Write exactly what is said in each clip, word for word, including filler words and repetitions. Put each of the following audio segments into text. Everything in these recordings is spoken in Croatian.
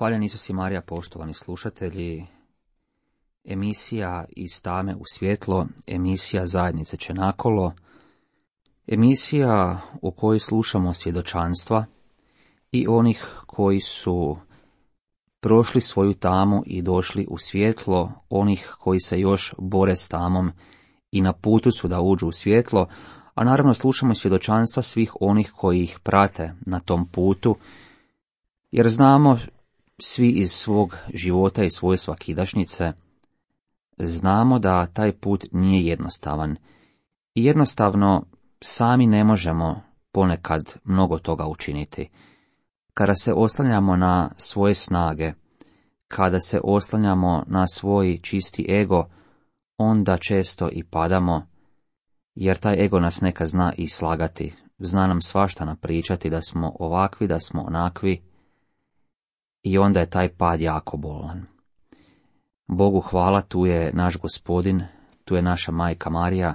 Hvaljen Isus i Marija, poštovani slušatelji. Emisija Iz tame u svjetlo, emisija Zajednice Čenakolo, emisija u kojoj slušamo svjedočanstva i onih koji su prošli svoju tamu i došli u svjetlo, onih koji se još bore s tamom i na putu su da uđu u svjetlo, a naravno slušamo svjedočanstva svih onih koji ih prate na tom putu, jer znamo svi iz svog života i svoje svakidašnjice, znamo da taj put nije jednostavan i jednostavno sami ne možemo ponekad mnogo toga učiniti. Kada se oslanjamo na svoje snage, kada se oslanjamo na svoj čisti ego, onda često i padamo, jer taj ego nas nekad zna i slagati, zna nam svašta napričati da smo ovakvi, da smo onakvi, i onda je taj pad jako bolan. Bogu hvala, tu je naš Gospodin, tu je naša majka Marija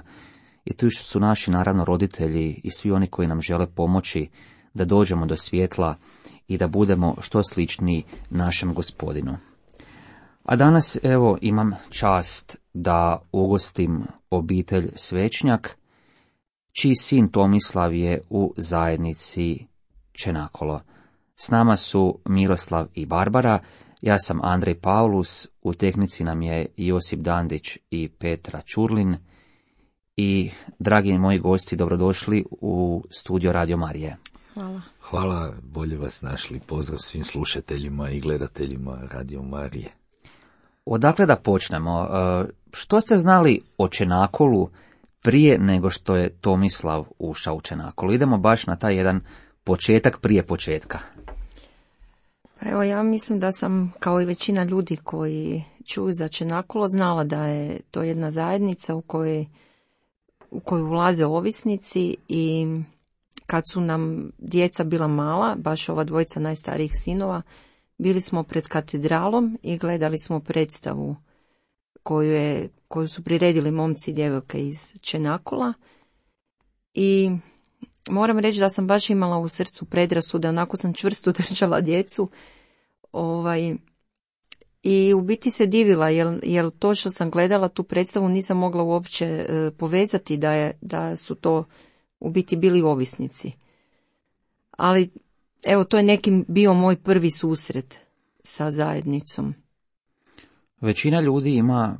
i tu su naši naravno roditelji i svi oni koji nam žele pomoći da dođemo do svjetla i da budemo što sličniji našem Gospodinu. A danas evo imam čast da ugostim obitelj Svečnjak, čiji sin Tomislav je u zajednici Čenakolo. S nama su Miroslav i Barbara, ja sam Andrej Paulus, u tehnici nam je Josip Dandić i Petra Čurlin i dragi moji gosti, dobrodošli u studio Radio Marije. Hvala. Hvala, bolje vas našli. Pozdrav svim slušateljima i gledateljima Radio Marije. Odakle da počnemo? Što ste znali o Čenakolu prije nego što je Tomislav ušao u Čenakolu? Idemo baš na taj jedan početak prije početka. Pa evo, ja mislim da sam, kao i većina ljudi koji čuju za Čenakolo, znala da je to jedna zajednica u kojoj, u koju ulaze ovisnici, i kad su nam djeca bila mala, baš ova dvojica najstarijih sinova, bili smo pred katedralom i gledali smo predstavu koju, je, koju su priredili momci i djevojke iz Čenakola, i moram reći da sam baš imala u srcu predrasude, onako sam čvrsto držala djecu, ovaj, i u biti se divila, jer, jer to što sam gledala tu predstavu nisam mogla uopće e, povezati da, je, da su to u biti bili ovisnici. Ali evo, to je nekim bio moj prvi susret sa zajednicom. Većina ljudi ima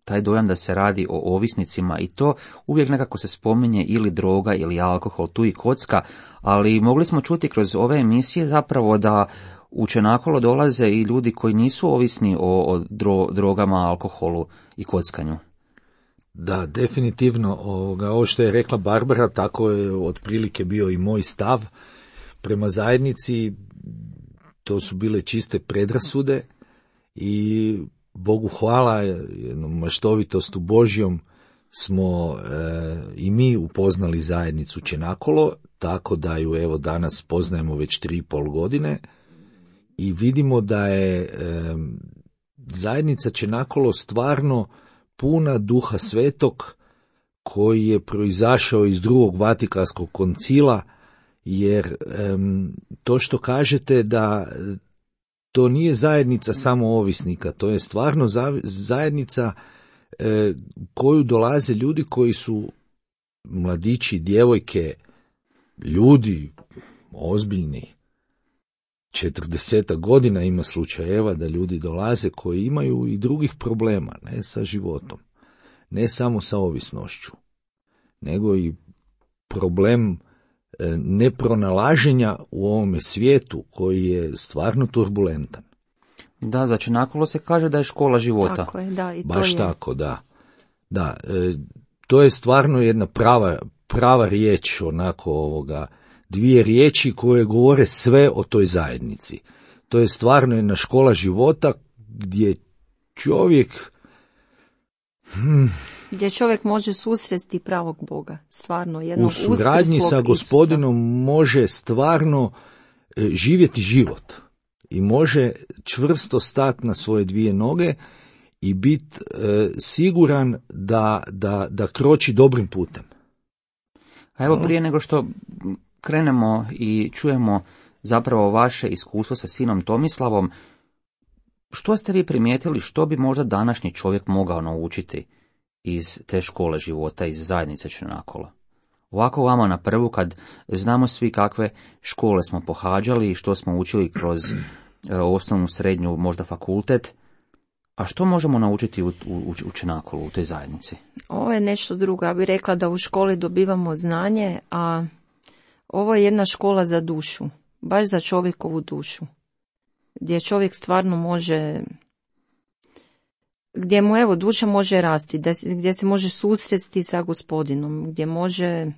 taj dojam da se radi o ovisnicima i to uvijek nekako se spominje ili droga ili alkohol, tu i kocka, ali mogli smo čuti kroz ove emisije zapravo da u Čenakolo dolaze i ljudi koji nisu ovisni o, o dro, drogama, alkoholu i kockanju. Da, definitivno. Ovoga, ovo što je rekla Barbara, tako je otprilike bio i moj stav prema zajednici. To su bile čiste predrasude i Bogu hvala, jednom maštovitostu Božjom smo e, i mi upoznali zajednicu Čenakolo, tako da ju evo danas poznajemo već tri i pol godine i vidimo da je e, zajednica Čenakolo stvarno puna Duha Svetog, koji je proizašao iz drugog Vatikanskog koncila, jer e, to što kažete da to nije zajednica samo ovisnika, to je stvarno zajednica e, koju dolaze ljudi koji su mladići, djevojke, ljudi ozbiljni. četrdeset godina ima slučajeva da ljudi dolaze koji imaju i drugih problema, ne sa životom, ne samo sa ovisnošću, nego i problem nepronalaženja u ovome svijetu koji je stvarno turbulentan. Da, za Čenakolo se kaže da je škola života. Tako je, da, i to Baš je. tako, da. Da, e, to je stvarno jedna prava, prava riječ, onako ovoga, dvije riječi koje govore sve o toj zajednici. To je stvarno jedna škola života gdje čovjek hmm, gdje čovjek može susresti pravog Boga, stvarno jednog u suradnji sa Gospodinom Isusa može stvarno e, živjeti život i može čvrsto stati na svoje dvije noge i biti e, siguran da, da, da kroči dobrim putem. A evo, prije nego što krenemo i čujemo zapravo vaše iskustvo sa sinom Tomislavom, Što ste vi primijetili, što bi možda današnji čovjek mogao naučiti iz te škole života, iz zajednice Črnakola? Ovako vama na prvu, kad znamo svi kakve škole smo pohađali i što smo učili kroz e, osnovnu, srednju, možda fakultet, a što možemo naučiti u, u, u Črnakolu, u toj zajednici? Ovo je nešto drugo. Ja bih rekla da u školi dobivamo znanje, a ovo je jedna škola za dušu, baš za čovjekovu dušu, gdje čovjek stvarno može, gdje mu evo duša može rasti, gdje se može susresti sa Gospodinom, gdje može e,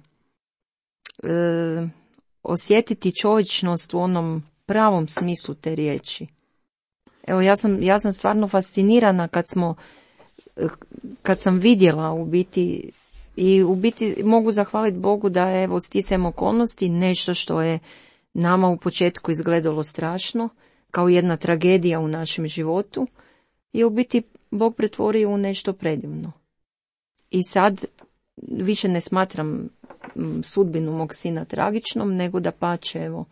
osjetiti čovječnost u onom pravom smislu te riječi. Evo ja sam, ja sam stvarno fascinirana kad smo, kad sam vidjela u biti, i u biti mogu zahvaliti Bogu da je evo sticajem okolnosti nešto što je nama u početku izgledalo strašno, kao jedna tragedija u našem životu, i u biti Bog pretvorio u nešto predivno. I sad više ne smatram sudbinu mog sina tragičnom, nego da pače, evo,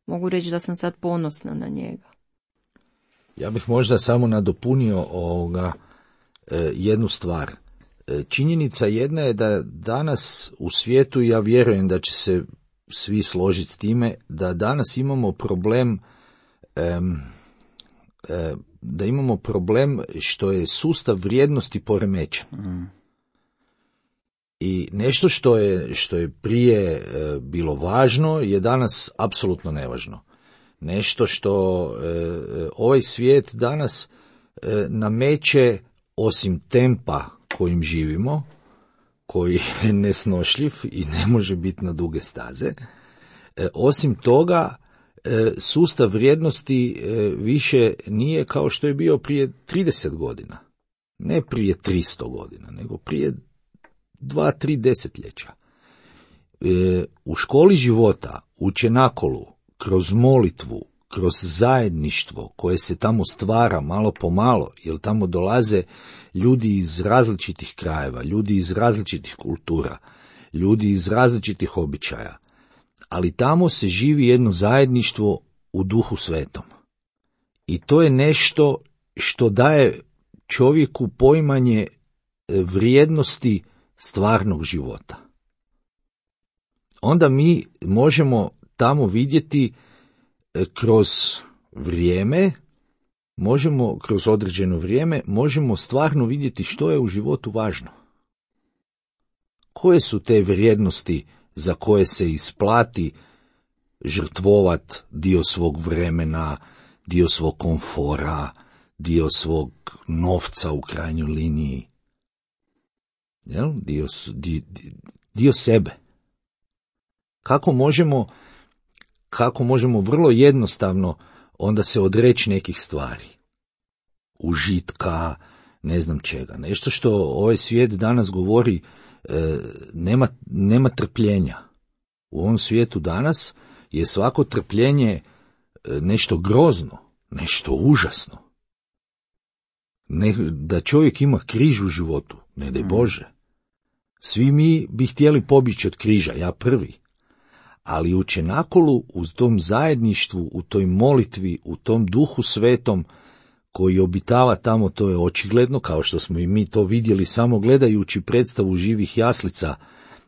mogu reći da sam sad ponosna na njega. Ja bih možda samo nadopunio ovoga, e, jednu stvar. E, činjenica jedna je da danas u svijetu, ja vjerujem da će se svi složiti s time, da danas imamo problem e, e, da imamo problem što je sustav vrijednosti poremećen. Mm. I nešto što je, što je prije e, bilo važno je danas apsolutno nevažno. Nešto što e, ovaj svijet danas e, nameće, osim tempa kojim živimo, koji je nesnošljiv i ne može biti na duge staze, e, osim toga e, sustav vrijednosti e, više nije kao što je bio prije trideset godina. Ne prije tristo godina, nego prije dva, tri desetljeća. E, u školi života, u Čenakolu, kroz molitvu, kroz zajedništvo koje se tamo stvara malo po malo, jer tamo dolaze ljudi iz različitih krajeva, ljudi iz različitih kultura, ljudi iz različitih običaja, ali tamo se živi jedno zajedništvo u Duhu Svetom. I to je nešto što daje čovjeku poimanje vrijednosti stvarnog života. Onda mi možemo tamo vidjeti kroz vrijeme, možemo kroz određeno vrijeme, možemo stvarno vidjeti što je u životu važno. Koje su te vrijednosti za koje se isplati žrtvovat dio svog vremena, dio svog komfora, dio svog novca u krajnjoj liniji, jel? Dio, dio, dio sebe. Kako možemo kako možemo vrlo jednostavno onda se odreći nekih stvari, užitka, ne znam čega, nešto što ovaj svijet danas govori, e, nema, nema trpljenja. U ovom svijetu danas je svako trpljenje e, nešto grozno, nešto užasno. Ne, da čovjek ima križ u životu, ne daj Bože. Svi mi bi htjeli pobjeći od križa, ja prvi. Ali u Čenakolu, u tom zajedništvu, u toj molitvi, u tom Duhu Svetom koji obitava tamo, to je očigledno, kao što smo i mi to vidjeli samo gledajući predstavu živih jaslica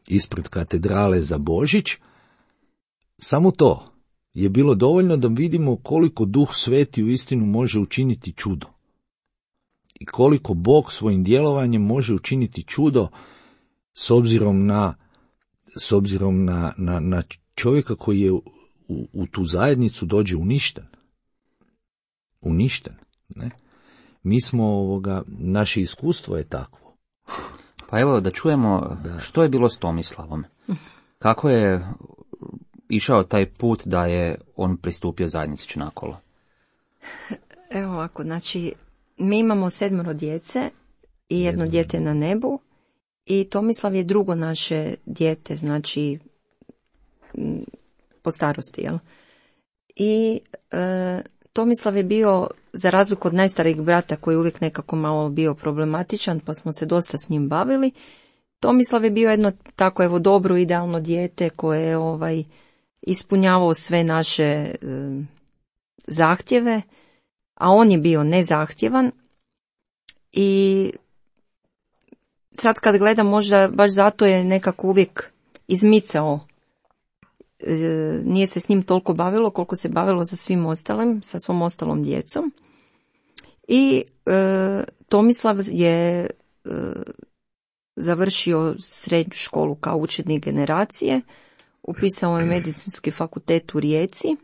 ispred katedrale za Božić, samo to je bilo dovoljno da vidimo koliko Duh Sveti u istinu može učiniti čudo. I koliko Bog svojim djelovanjem može učiniti čudo s obzirom na, s obzirom na, na, na čovjeka koji je u, u tu zajednicu dođe uništen. Uništen, ne? Mi smo ovoga, naše iskustvo je takvo. Pa evo da čujemo da. Što je bilo s Tomislavom. Kako je išao taj put da je on pristupio zajednici Čenakolo? Evo ovako, znači mi imamo sedmero djece i jedno Jedno. dijete na nebu i Tomislav je drugo naše dijete, znači po starosti, jel? I e, Tomislav je bio, za razliku od najstarijeg brata koji je uvijek nekako malo bio problematičan, pa smo se dosta s njim bavili, Tomislav je bio jedno tako evo dobro, idealno dijete koje je ovaj, ispunjavao sve naše e, zahtjeve a on je bio nezahtjevan i sad kad gledam možda baš zato je nekako uvijek izmicao, e, nije se s njim toliko bavilo koliko se bavilo sa svim ostalim, sa svom ostalom djecom. I e, Tomislav je e, završio srednju školu kao učenik generacije, upisao je medicinski fakultet u Rijeci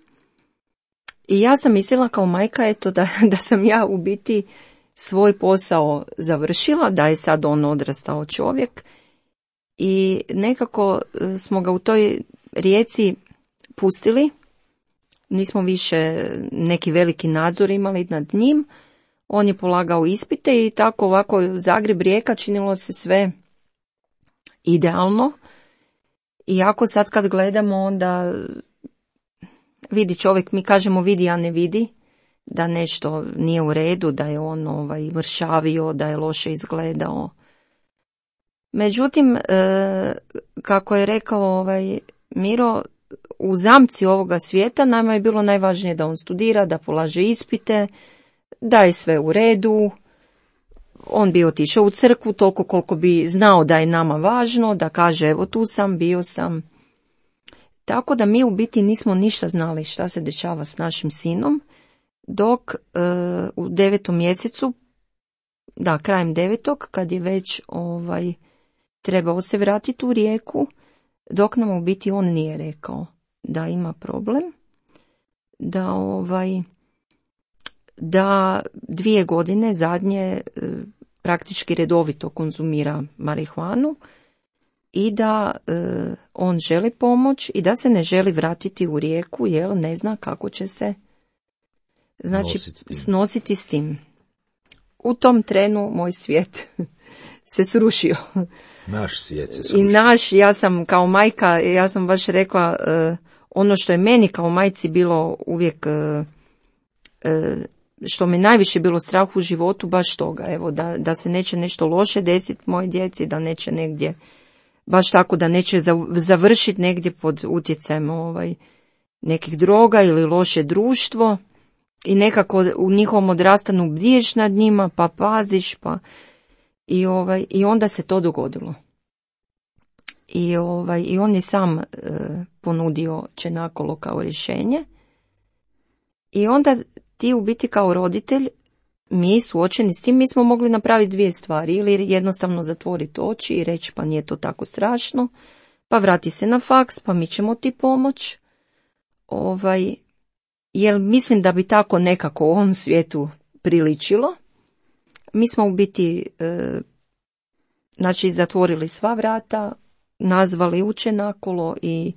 i ja sam mislila kao majka eto da, da sam ja u biti svoj posao završila, da je sad on odrastao čovjek i nekako smo ga u toj Rijeci pustili, nismo više neki veliki nadzor imali nad njim, on je polagao ispite i tako ovako Zagreb, Rijeka činilo se sve idealno. I ako sad kad gledamo onda vidi čovjek, mi kažemo vidi a ne vidi, da nešto nije u redu, da je on ovaj, mršavio, da je loše izgledao. Međutim, e, kako je rekao ovaj, Miro, u zamci ovoga svijeta nama je bilo najvažnije da on studira, da polaže ispite, da je sve u redu. On bi otišao u crkvu toliko koliko bi znao da je nama važno, da kaže evo tu sam, bio sam. Tako da mi u biti nismo ništa znali šta se dešava s našim sinom, dok e, u devetom mjesecu, da krajem devetog, kad je već ovaj, trebao se vratiti u Rijeku, dok nam u biti on nije rekao da ima problem, da ovaj, da dvije godine zadnje e, praktički redovito konzumira marihuanu i da e, on želi pomoć i da se ne želi vratiti u Rijeku jer ne zna kako će se znači nositi s, nositi s tim. U tom trenu moj svijet se srušio. Naš svijet se srušio. I naš, ja sam kao majka, ja sam baš rekla, e, ono što je meni kao majci bilo uvijek, e, e, što me najviše bilo strah u životu, baš toga, evo, da, da se neće nešto loše desiti moje djeci, da neće negdje, baš tako da neće završiti negdje pod utjecajem ovaj, nekih droga ili loše društvo i nekako u njihovom odrastanju bdiješ nad njima, pa paziš, pa i, ovaj, i onda se to dogodilo. I, ovaj, i on je sam e, ponudio Čenakolo kao rješenje i onda ti u biti kao roditelj, mi suočeni s tim, mi smo mogli napraviti dvije stvari, ili jednostavno zatvoriti oči i reći pa nije to tako strašno, pa vrati se na faks, pa mi ćemo ti pomoć. Ovaj, jer mislim da bi tako nekako u ovom svijetu priličilo. Mi smo u biti e, znači zatvorili sva vrata, nazvali Učenakolo i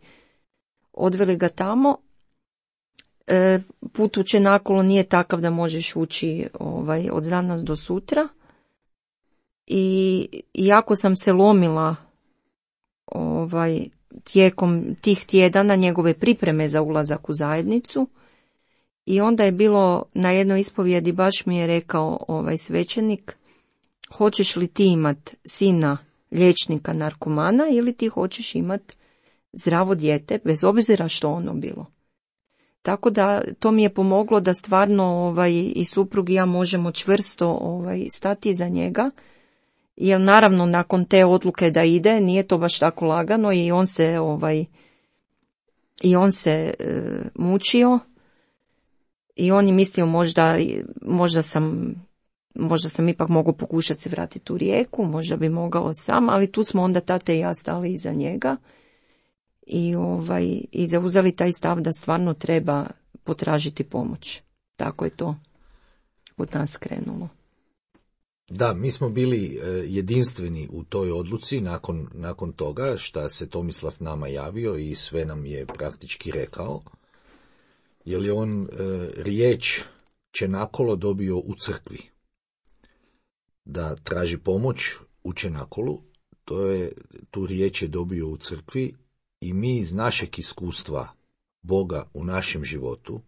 odveli ga tamo. E, put Učenakolo nije takav da možeš ući ovaj, od danas do sutra. I iako sam se lomila ovaj, tijekom tih tjedana njegove pripreme za ulazak u zajednicu, i onda je bilo na jednoj ispovjedi, baš mi je rekao ovaj svećenik, hoćeš li ti imat sina liječnika narkomana ili ti hoćeš imat zdravo dijete, bez obzira što ono bilo. Tako da to mi je pomoglo da stvarno ovaj, i suprug i ja možemo čvrsto ovaj, stati iza njega, jer naravno nakon te odluke da ide nije to baš tako lagano i on se ovaj, i on se e, mučio i on je mislio možda, možda sam možda sam ipak mogao pokušati se vratiti u Rijeku, možda bi mogao sam, ali tu smo onda tate i ja stali iza njega i, ovaj, i zauzeli taj stav da stvarno treba potražiti pomoć. Tako je to od nas krenulo. Da, mi smo bili jedinstveni u toj odluci nakon, nakon toga šta se Tomislav nama javio i sve nam je praktički rekao. Jer je on e, riječ Čenakolo dobio u crkvi. Da traži pomoć u Čenakolu, to je, tu riječ je dobio u crkvi i mi iz našeg iskustva Boga u našem životu,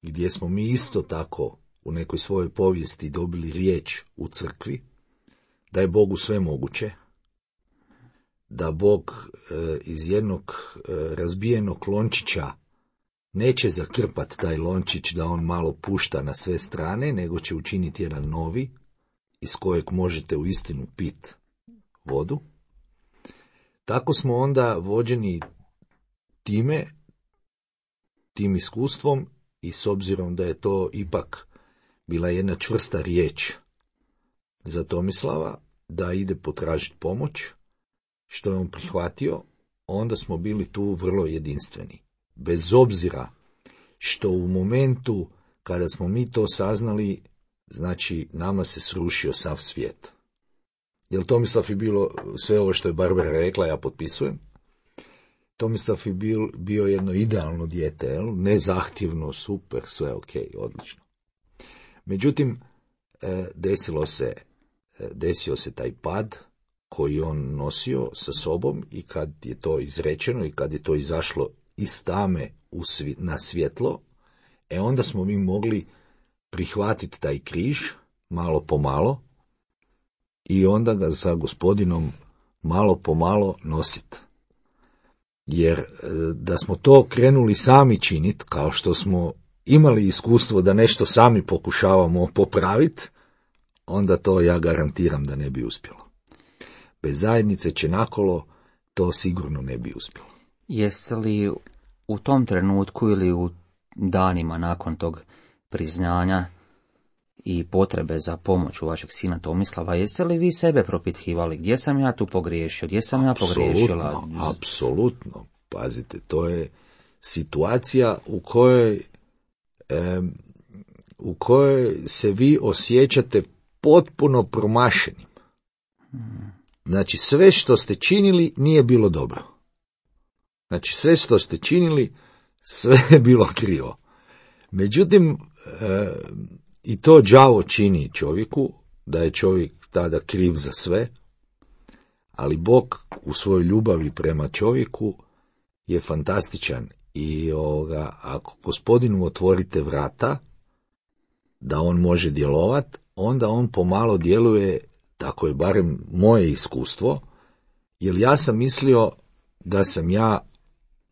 gdje smo mi isto tako u nekoj svojoj povijesti dobili riječ u crkvi, da je Bogu sve moguće, da Bog e, iz jednog e, razbijenog lončića neće zakrpat taj lončić da on malo pušta na sve strane, nego će učiniti jedan novi, iz kojeg možete uistinu pit vodu. Tako smo onda vođeni time, tim iskustvom i s obzirom da je to ipak bila jedna čvrsta riječ za Tomislava, da ide potražiti pomoć, što je on prihvatio, onda smo bili tu vrlo jedinstveni. Bez obzira što u momentu kada smo mi to saznali, znači nama se srušio sav svijet. Jer Tomislav je bilo, sve ovo što je Barbara rekla, ja potpisujem. Tomislav je bil, bio jedno idealno dijete, jel? Nezahtjevno, super, sve ok, odlično. Međutim, desilo se, desio se taj pad koji on nosio sa sobom i kad je to izrečeno i kad je to izašlo iz tame u svi, na svjetlo, e onda smo mi mogli prihvatiti taj križ malo po malo i onda ga sa Gospodinom malo po malo nositi. Jer da smo to krenuli sami činiti, kao što smo imali iskustvo da nešto sami pokušavamo popraviti, onda to ja garantiram da ne bi uspjelo. Bez zajednice Čenakolo to sigurno ne bi uspjelo. Jeste li u tom trenutku ili u danima nakon tog priznanja i potrebe za pomoć u vašeg sina Tomislava, jeste li vi sebe propitkivali? Gdje sam ja tu pogriješio? Gdje sam apsolutno, ja pogriješila? Apsolutno. Pazite, to je situacija u kojoj, e, u kojoj se vi osjećate potpuno promašenim. Znači, sve što ste činili nije bilo dobro. Znači, sve što ste činili, sve je bilo krivo. Međutim, e, i to đavo čini čovjeku, da je čovjek tada kriv za sve, ali Bog u svojoj ljubavi prema čovjeku je fantastičan i ovoga, ako Gospodinu otvorite vrata, da on može djelovat, onda on pomalo djeluje, tako je barem moje iskustvo, jer ja sam mislio da sam ja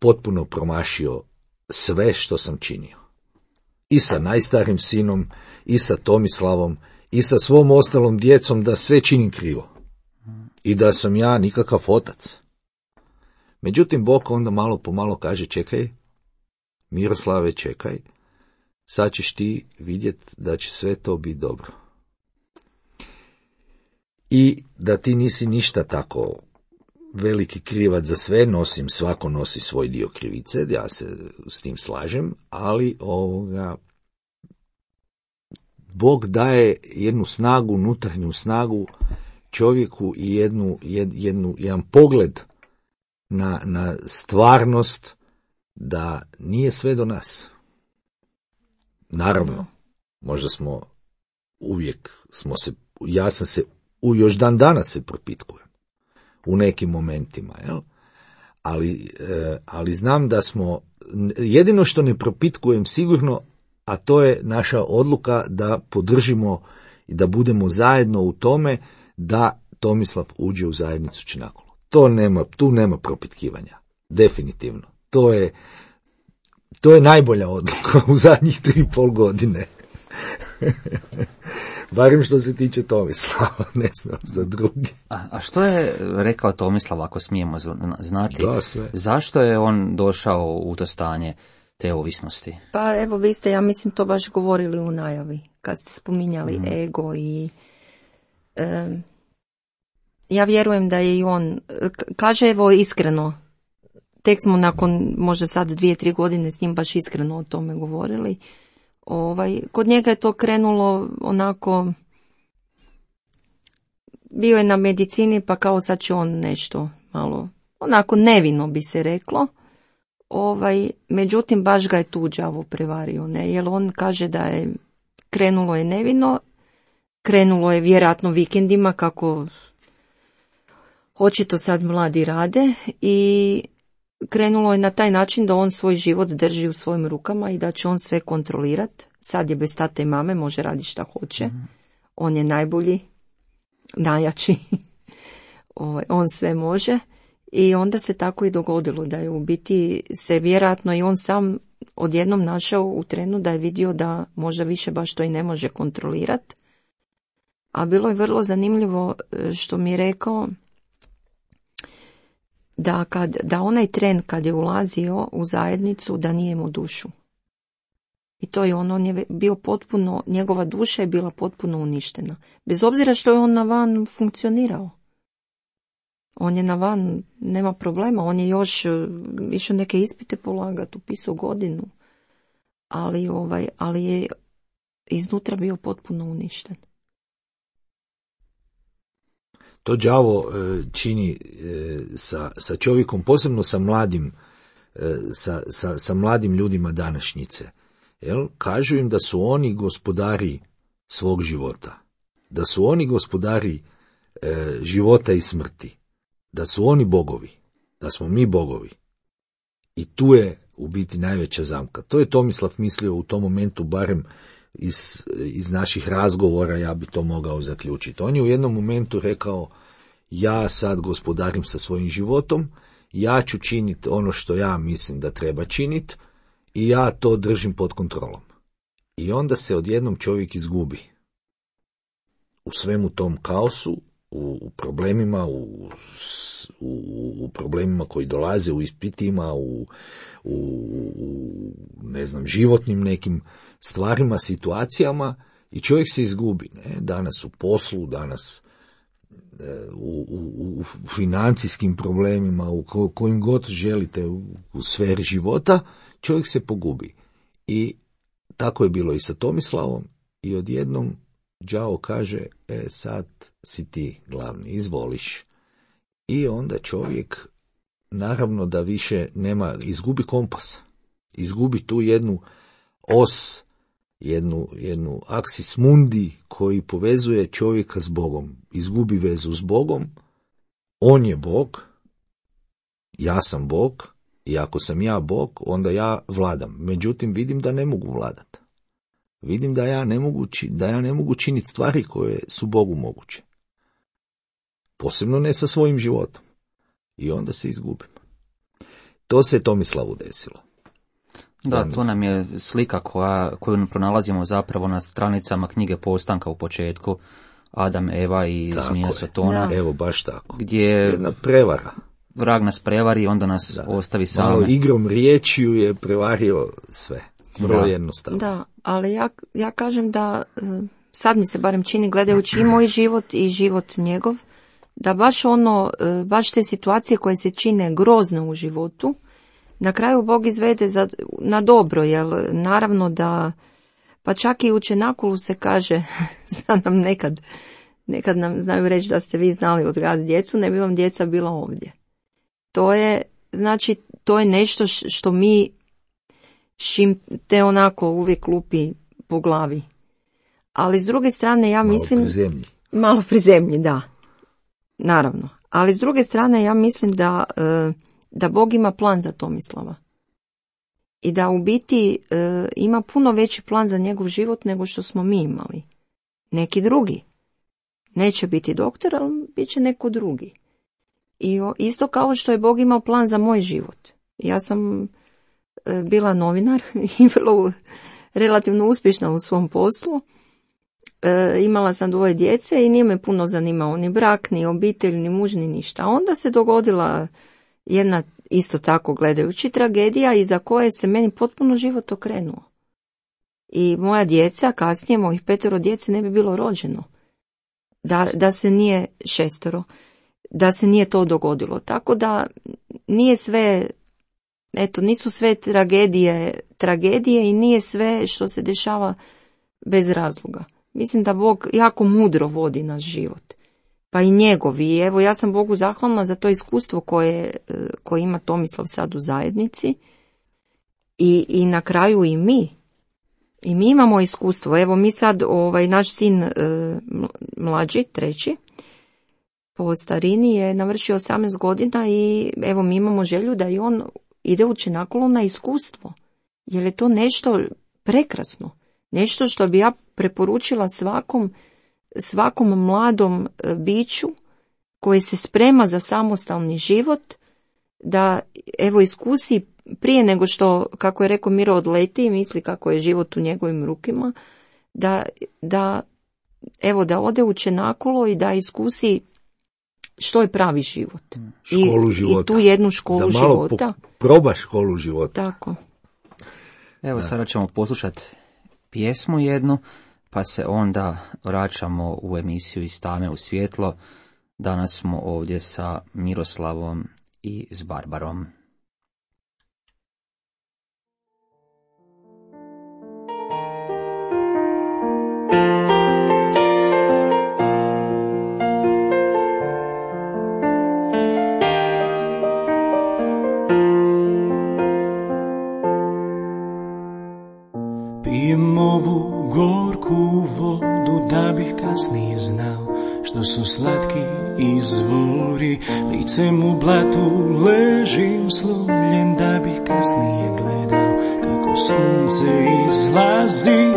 potpuno promašio sve što sam činio. I sa najstarim sinom, i sa Tomislavom, i sa svom ostalom djecom, da sve činim krivo. I da sam ja nikakav otac. Međutim, Bog onda malo po malo kaže, čekaj, Miroslave, čekaj, sad ćeš ti vidjeti da će sve to biti dobro. I da ti nisi ništa tako veliki krivac za sve, nosim, svako nosi svoj dio krivice, ja se s tim slažem, ali ovoga, Bog daje jednu snagu, unutarnju snagu čovjeku i jednu, jed, jednu, jedan pogled na, na stvarnost da nije sve do nas. Naravno, možda smo uvijek smo se, ja sam se, u još dan danas se propitkujem u nekim momentima, jel? Ali, e, ali znam da smo, jedino što ne propitkujem sigurno, a to je naša odluka da podržimo i da budemo zajedno u tome da Tomislav uđe u zajednicu Čenakolo. To nema, tu nema propitkivanja. Definitivno. To je, to je najbolja odluka u zadnjih tri i pol godine. Barem što se tiče Tomislava, ne znam za drugi. A, a što je rekao Tomislav, ako smijemo znati? Da, sve. Zašto je on došao u to stanje te ovisnosti? Pa evo, vi ste, ja mislim, to baš govorili u najavi, kad ste spominjali mm. ego i... Um, ja vjerujem da je i on, kaže evo iskreno, tek smo nakon možda sad dvije, tri godine s njim baš iskreno o tome govorili. Ovaj, kod njega je to krenulo onako, bio je na medicini pa kao sad će on nešto malo, onako nevino bi se reklo. Ovaj, međutim, baš ga je tu đavo prevario, ne, jer on kaže da je krenulo je nevino, krenulo je vjerojatno vikendima kako očito sad mladi rade i krenulo je na taj način da on svoj život drži u svojim rukama i da će on sve kontrolirati. Sad je bez tate i mame, može raditi šta hoće. Mm. On je najbolji, najjači. On sve može. I onda se tako i dogodilo da je u biti se vjerojatno i on sam odjednom našao u trenu da je vidio da možda više baš to i ne može kontrolirati. A bilo je vrlo zanimljivo što mi je rekao da, kad, da onaj tren kad je ulazio u zajednicu da nije imao dušu. I to je on, on je bio potpuno, njegova duša je bila potpuno uništena. Bez obzira što je on na van funkcionirao. On je na van, nema problema, on je još išao neke ispite polagati, upisao godinu, ali, ovaj, ali je iznutra bio potpuno uništen. To đavo čini sa, sa čovjekom, posebno sa mladim, sa, sa, sa mladim ljudima današnjice. Jel? Kažu im da su oni gospodari svog života, da su oni gospodari e, života i smrti, da su oni bogovi, da smo mi bogovi. I tu je u biti najveća zamka. To je Tomislav mislio u tom momentu, barem iz, iz naših razgovora ja bi to mogao zaključiti. On je u jednom momentu rekao, ja sad gospodarim sa svojim životom, ja ću činiti ono što ja mislim da treba činiti i ja to držim pod kontrolom. I onda se odjednom čovjek izgubi u svemu tom kaosu, u, u problemima, u, u, u problemima koji dolaze, u ispitima, u, u, u ne znam, životnim nekim stvarima, situacijama i čovjek se izgubi. Ne? Danas u poslu, danas u, u, u financijskim problemima, u ko, kojim god želite u, u sferi života, čovjek se pogubi. I tako je bilo i sa Tomislavom i odjednom đavo kaže, e sad si ti glavni, izvoliš. I onda čovjek, naravno da više nema, izgubi kompas, izgubi tu jednu os, jednu, jednu aksis mundi koji povezuje čovjeka s Bogom. Izgubi vezu s Bogom, on je Bog, ja sam Bog, i ako sam ja Bog, onda ja vladam. Međutim, vidim da ne mogu vladati. Vidim da ja ne mogu, da ja ne mogu činiti stvari koje su Bogu moguće. Posebno ne sa svojim životom. I onda se izgubim. To se je Tomislavu desilo. Da, to nam je slika koja, koju pronalazimo zapravo na stranicama knjige Postanka u početku, Adam, Eva i tako zmija Sotona. Evo, baš tako. Gdje jedna prevara. Vrag nas prevari, onda nas da. ostavi same. Malo igrom riječju je prevario sve. Vrlo jednostavno. Da, ali ja, ja kažem da sad mi se barem čini, gledajući i moj život i život njegov, da baš ono, baš te situacije koje se čine grozno u životu, na kraju Bog izvede za, na dobro, jer naravno da, pa čak i u Čenakulu se kaže, sad nam nekad, nekad nam znaju reći da ste vi znali odgajati djecu, ne bi vam djeca bila ovdje. To je, znači, to je nešto što mi, šim te onako uvijek lupi po glavi. Ali s druge strane ja malo mislim... Malo prizemlji. Malo prizemlji, da. Naravno. Ali s druge strane ja mislim da, da Bog ima plan za Tomislava. I da u biti ima puno veći plan za njegov život nego što smo mi imali. Neki drugi. Neće biti doktor, ali bit će neko drugi. I isto kao što je Bog imao plan za moj život. Ja sam bila novinar i vrlo relativno uspješna u svom poslu. E, imala sam dvoje djece i nije me puno zanimao ni brak, ni obitelj, ni muž, ni ništa. Onda se dogodila jedna, isto tako gledajući, tragedija iza koje se meni potpuno život okrenuo. I moja djeca, kasnije mojih petero djece ne bi bilo rođeno. Da, da se nije šestoro, da se nije to dogodilo. Tako da nije sve, eto, nisu sve tragedije, tragedije i nije sve što se dešava bez razloga. Mislim da Bog jako mudro vodi naš život. Pa i njegov. I evo, ja sam Bogu zahvalna za to iskustvo koje, koje ima Tomislav sad u zajednici. I, i na kraju i mi. I mi imamo iskustvo. Evo, mi sad, ovaj, naš sin e, mlađi, treći, po starini je navršio osamnaest godina i evo, mi imamo želju da i on ide u Čenakulu na iskustvo. Jer je to nešto prekrasno. Nešto što bi ja preporučila svakom, svakom mladom biću koji se sprema za samostalni život, da evo iskusi prije nego što, kako je rekao Miro, odleti i misli kako je život u njegovim rukima, da, da evo da ode u Čenakulo i da iskusi što je pravi život. Školu I, života. I tu jednu školu da malo života. Po, proba školu života. Tako. Evo da. Sada ćemo poslušati pjesmu jednu, pa se onda vraćamo u emisiju Iz tame u svjetlo. Danas smo ovdje sa Miroslavom i s Barbarom. Pijem ovu gorku vodu da bih kasnije znao što su slatki izvori. Licem u blatu ležim slomljen da bih kasnije gledao kako sunce izlazi.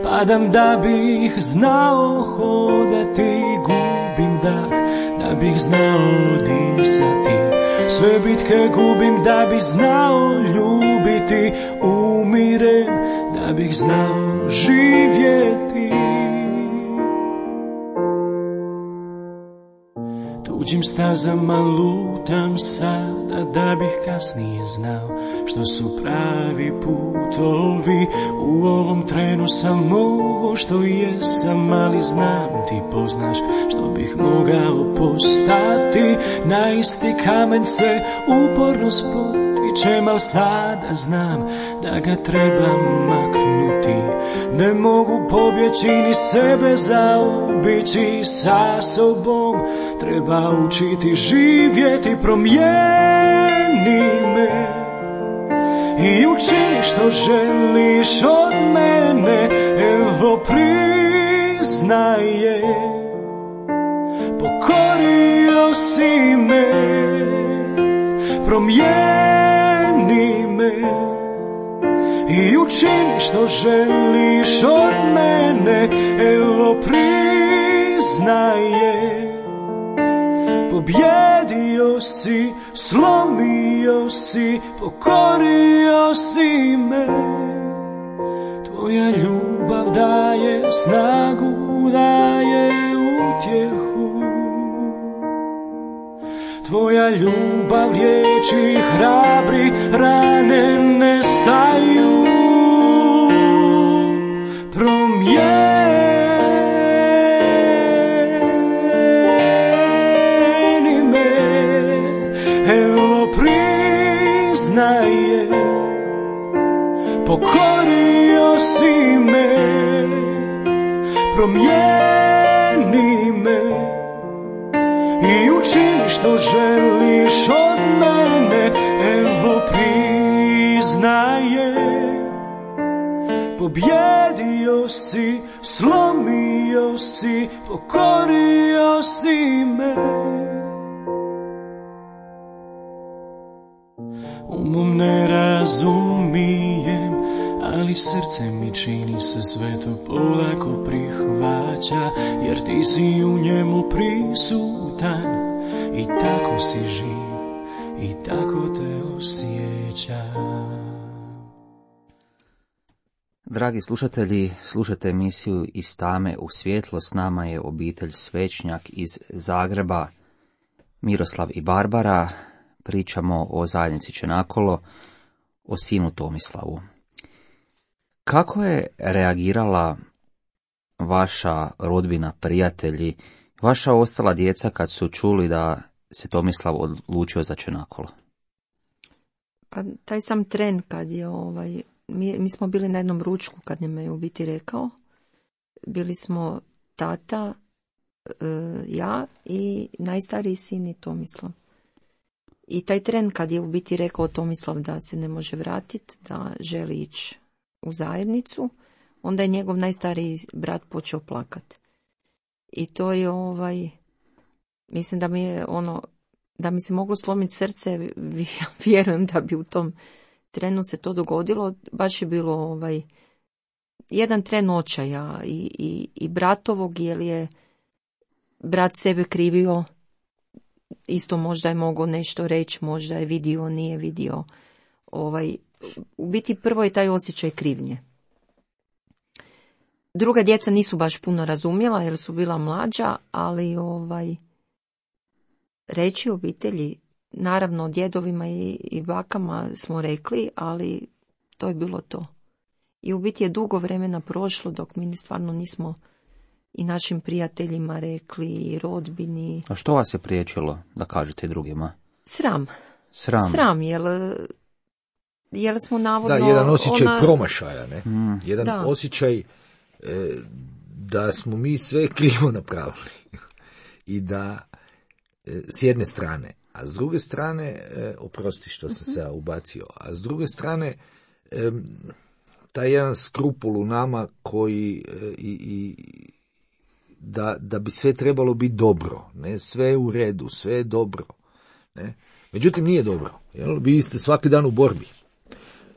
Padam da bih znao hodati, gubim dah da bih znao disati. Sve bitke gubim da bih znao ljubiti, umirem da bih znao živjeti. Tuđim stazama lutam sada da bih kasnije znao što su pravi putovi. U ovom trenu sam ovo što jesam, ali znam ti poznaš što bih mogao postati. Na isti kamen se uporno spotičem, al sada znam da ga trebam maknuti. Ne mogu pobjeći ni sebe zaobići, sa sobom treba učiti živjeti. Promijeni me i učini što želiš od mene. Evo priznaje, pokorio si me. Promijeni me i učini što želiš od mene. Evo priznaje, pobjedio si, slomio si, pokorio si me. Tvoja ljubav daje snagu, daje utjehu. Tvoja ljubav riječi hrabri, rane nestaju. Promijeni me, evo priznaje, pokorio si me. Promijeni me i učini što želiš od mene. Evo priznaje, pobjedio si, slomio si, pokorio si me. Umom ne razumijem, ali srce mi čini se sve to polako prihvaća, jer ti si u njemu prisutan i tako si živ i tako te osjećam. Dragi slušatelji, slušate emisiju Iz tame u svjetlo. S nama je obitelj Svečnjak iz Zagreba, Miroslav i Barbara. Pričamo o zajednici Čenakolo, o sinu Tomislavu. Kako je reagirala vaša rodbina, prijatelji, vaša ostala djeca kad su čuli da se Tomislav odlučio za Čenakolo? Pa taj sam tren kad je ovaj, mi, mi smo bili na jednom ručku kad nam je u biti rekao. Bili smo tata, e, ja i najstariji sin i Tomislav. I taj tren kad je u biti rekao Tomislav da se ne može vratiti, da želi ići u zajednicu, onda je njegov najstariji brat počeo plakati. I to je ovaj, mislim da mi je ono, da mi se moglo slomiti srce, vjerujem da bi u tom trenu se to dogodilo. Baš je bilo ovaj, jedan tren očaja i, i, i bratovog, jer je brat sebe krivio, isto možda je mogao nešto reći, možda je vidio, nije vidio. ovaj, u biti prvo je taj osjećaj krivnje. Druga djeca nisu baš puno razumjela jer su bila mlađa, ali ovaj, reći obitelji, naravno djedovima i, i bakama smo rekli, ali to je bilo to. I u biti je dugo vremena prošlo dok mi stvarno nismo i našim prijateljima rekli, i rodbini. A što vas je priječilo da kažete drugima? Sram. Sram. Sram, jer, jer smo navodno... Da, jedan osjećaj ona... promašaja, ne? Mm. Jedan da. osjećaj e, da smo mi sve krivo napravili. I da, e, s jedne strane, a s druge strane, e, oprosti što sam se ja ubacio, a s druge strane, e, taj jedan skrupul u nama koji e, i... i Da, da bi sve trebalo biti dobro, ne, sve je u redu, sve je dobro, ne. Međutim, nije dobro, jel? Vi ste svaki dan u borbi.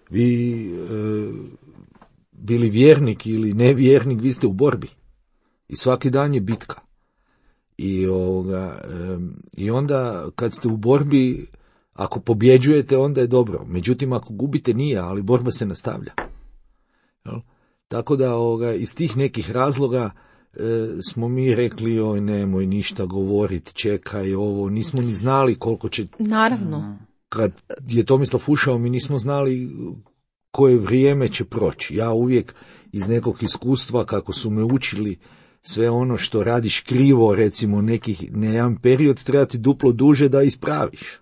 Vi, e, bili vjernik ili nevjernik, vi ste u borbi. I svaki dan je bitka. I, ovoga, e, i onda, kad ste u borbi, ako pobjeđujete, onda je dobro. Međutim, ako gubite, nije, ali borba se nastavlja. Jel? Tako da, ovoga, iz tih nekih razloga, E, smo mi rekli, oj, nemoj ništa govorit, čekaj ovo, nismo ni znali koliko će... Naravno. Kad je Tomislav ušao, mi nismo znali koje vrijeme će proći. Ja uvijek iz nekog iskustva, kako su me učili, sve ono što radiš krivo, recimo nekih, ne jedan period, treba ti duplo duže da ispraviš.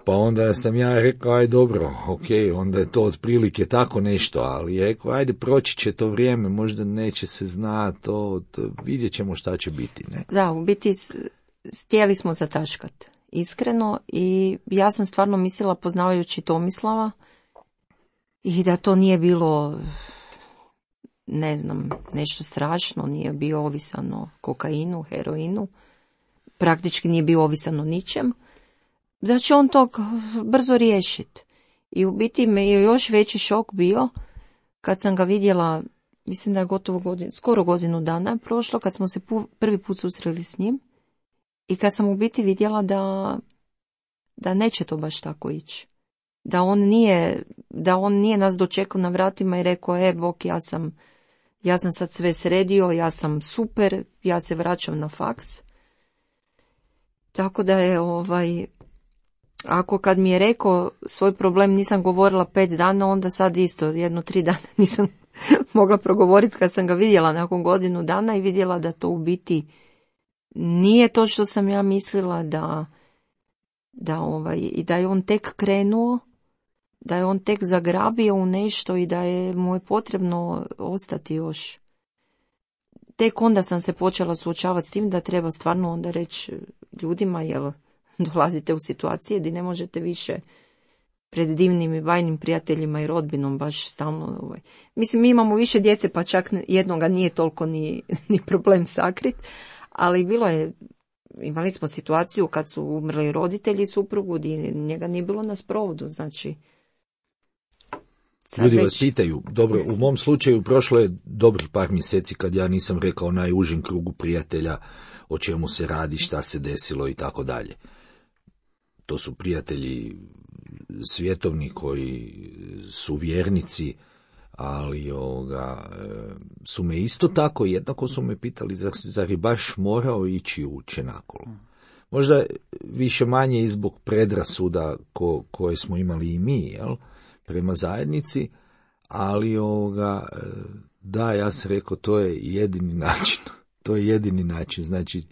Pa onda sam ja rekao, aj dobro, ok, onda je to otprilike tako nešto, ali je rekao, ajde, proći će to vrijeme, možda neće se znati, to, to, vidjet ćemo šta će biti, ne? Da, u biti htjeli smo zataškat, iskreno, i ja sam stvarno mislila, poznavajući Tomislava, i da to nije bilo, ne znam, nešto strašno, nije bio ovisan o kokainu, heroinu, praktički nije bio ovisan o ničem, da će on to brzo riješiti. I u biti me je još veći šok bio kad sam ga vidjela, mislim da je gotovo godinu, skoro godinu dana prošlo, kad smo se pu, prvi put susreli s njim, i kad sam u biti vidjela da, da neće to baš tako ići. Da on nije, da on nije nas dočekao na vratima i rekao, e, bok, ja sam, ja sam sad sve sredio, ja sam super, ja se vraćam na faks. Tako da je, ovaj, ako kad mi je rekao svoj problem nisam govorila pet dana, onda sad isto jedno tri dana nisam mogla progovoriti kad sam ga vidjela nakon godinu dana i vidjela da to u biti nije to što sam ja mislila, da, da, ovaj, i da je on tek krenuo, da je on tek zagrabio u nešto i da je mu je potrebno ostati još. Tek onda sam se počela suočavati s tim da treba stvarno onda reći ljudima, jel dolazite u situacije gdje ne možete više pred divnim i bajnim prijateljima i rodbinom baš stalno. Ovaj. Mislim, mi imamo više djece, pa čak jednoga nije toliko ni, ni problem sakrit, ali bilo je, imali smo situaciju kad su umrli roditelji suprugu, gdje njega nije bilo na sprovodu, znači... Ljudi već... vas pitaju, dobro, u mom slučaju prošlo je dobrih par mjeseci kad ja nisam rekao najužem krugu prijatelja o čemu se radi, šta se desilo i tako dalje. To su prijatelji svjetovni koji su vjernici, ali ovoga, su me isto tako, jednako su me pitali, zar, zar je baš morao ići u Čenakolo. Možda više manje i zbog predrasuda ko, koje smo imali i mi, jel, prema zajednici, ali ovoga, da, ja sam rekao, to je jedini način. To je jedini način, znači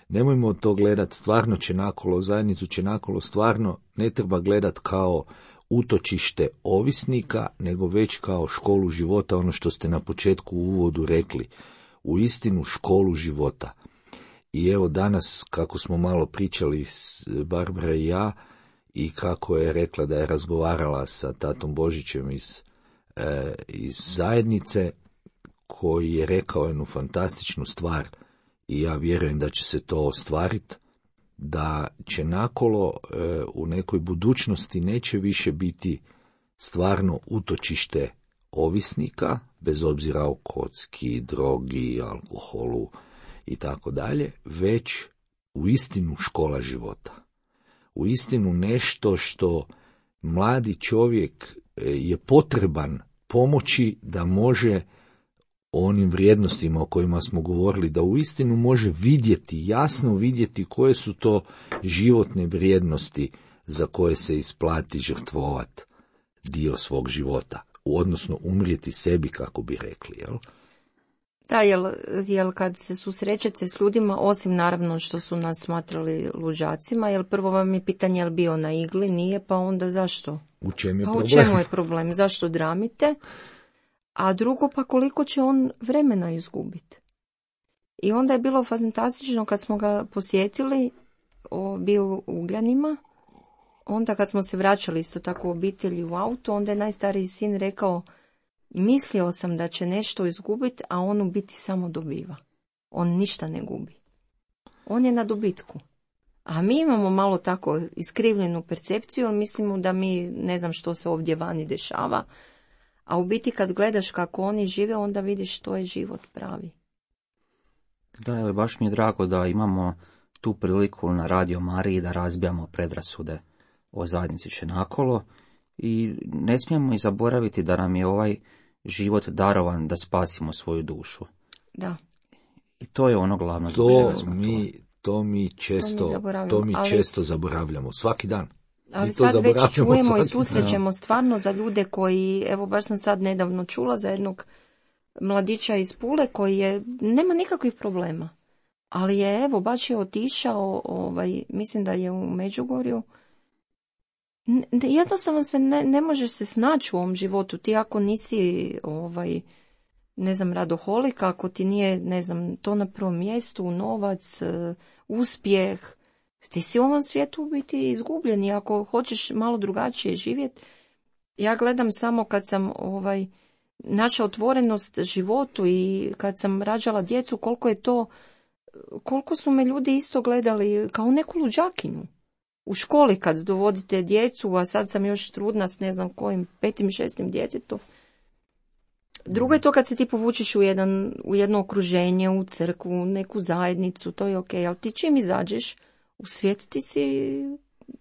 nemojmo to gledati stvarno Čenakolo, zajednicu Čenakolo stvarno ne treba gledati kao utočište ovisnika, nego već kao školu života, ono što ste na početku u uvodu rekli, u istinu školu života. I evo danas, kako smo malo pričali s Barbara i ja, i kako je rekla da je razgovarala sa tatom Božićem iz, e, iz zajednice, koji je rekao jednu fantastičnu stvar, i ja vjerujem da će se to ostvariti, da će nakolo e, u nekoj budućnosti neće više biti stvarno utočište ovisnika, bez obzira o kocki, drogi, alkoholu i tako dalje, već u istinu škola života. U istinu nešto što mladi čovjek je potreban pomoći da može o onim vrijednostima o kojima smo govorili, da uistinu može vidjeti, jasno vidjeti koje su to životne vrijednosti za koje se isplati žrtvovati dio svog života, odnosno umrijeti sebi, kako bi rekli, jel? Da, jel, jel kad se susrećete s ljudima, osim naravno što su nas smatrali luđacima, jel prvo vam je pitanje jel bio na igli, nije, pa onda zašto? U čemu je pa problem? U čemu je problem? Zašto dramite? A drugo, pa koliko će on vremena izgubiti? I onda je bilo fantastično kad smo ga posjetili, o, bio u Ugljanima, onda kad smo se vraćali isto tako u obitelji u auto, onda je najstariji sin rekao, mislio sam da će nešto izgubiti, a on u biti samo dobiva. On ništa ne gubi. On je na dobitku. A mi imamo malo tako iskrivljenu percepciju, jer mislimo da mi ne znam što se ovdje vani dešava, a u biti kad gledaš kako oni žive, onda vidiš što je život pravi. Da, evo, baš mi je drago da imamo tu priliku na Radio Mariji da razbijamo predrasude o zajednici Čenakolo i ne smijemo i zaboraviti da nam je ovaj život darovan da spasimo svoju dušu. Da. I to je ono glavno. To mi, to mi često, to mi zaboravljamo, to mi ali, često zaboravljamo, svaki dan. Ali sad već čujemo i susrećemo stvarno za ljude koji, evo baš sam sad nedavno čula za jednog mladića iz Pule koji je, nema nikakvih problema, ali je evo baš je otišao, ovaj, mislim da je u Međugorju. Jednostavno se ne, ne možeš se snaći u ovom životu. Ti ako nisi ovaj, ne znam, radoholik, ako ti nije, ne znam, to na prvom mjestu, novac, uspjeh, ti si u ovom svijetu biti izgubljen i ako hoćeš malo drugačije živjeti. Ja gledam samo kad sam ovaj, naša otvorenost životu i kad sam rađala djecu, koliko je to, koliko su me ljudi isto gledali kao neku luđakinju. U školi kad dovodite djecu, a sad sam još trudna s ne znam kojim petim, šestim djetetom. Drugo je to kad se ti povučeš u, jedan, u jedno okruženje, u crkvu, u neku zajednicu, to je ok, ali ti čim izađeš u svijet, ti si,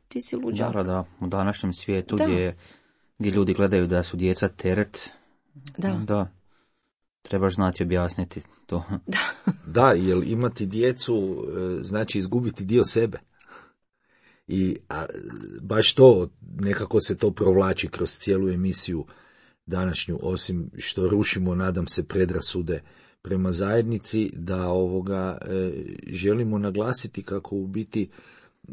ti si luđak. Da, da, u današnjem svijetu da. Gdje, gdje ljudi gledaju da su djeca teret, da, da trebaš znati objasniti to. Da, da, jer imati djecu znači izgubiti dio sebe. I a, baš to, nekako se to provlači kroz cijelu emisiju današnju, osim što rušimo, nadam se, predrasude prema zajednici, da ovoga e, želimo naglasiti kako u biti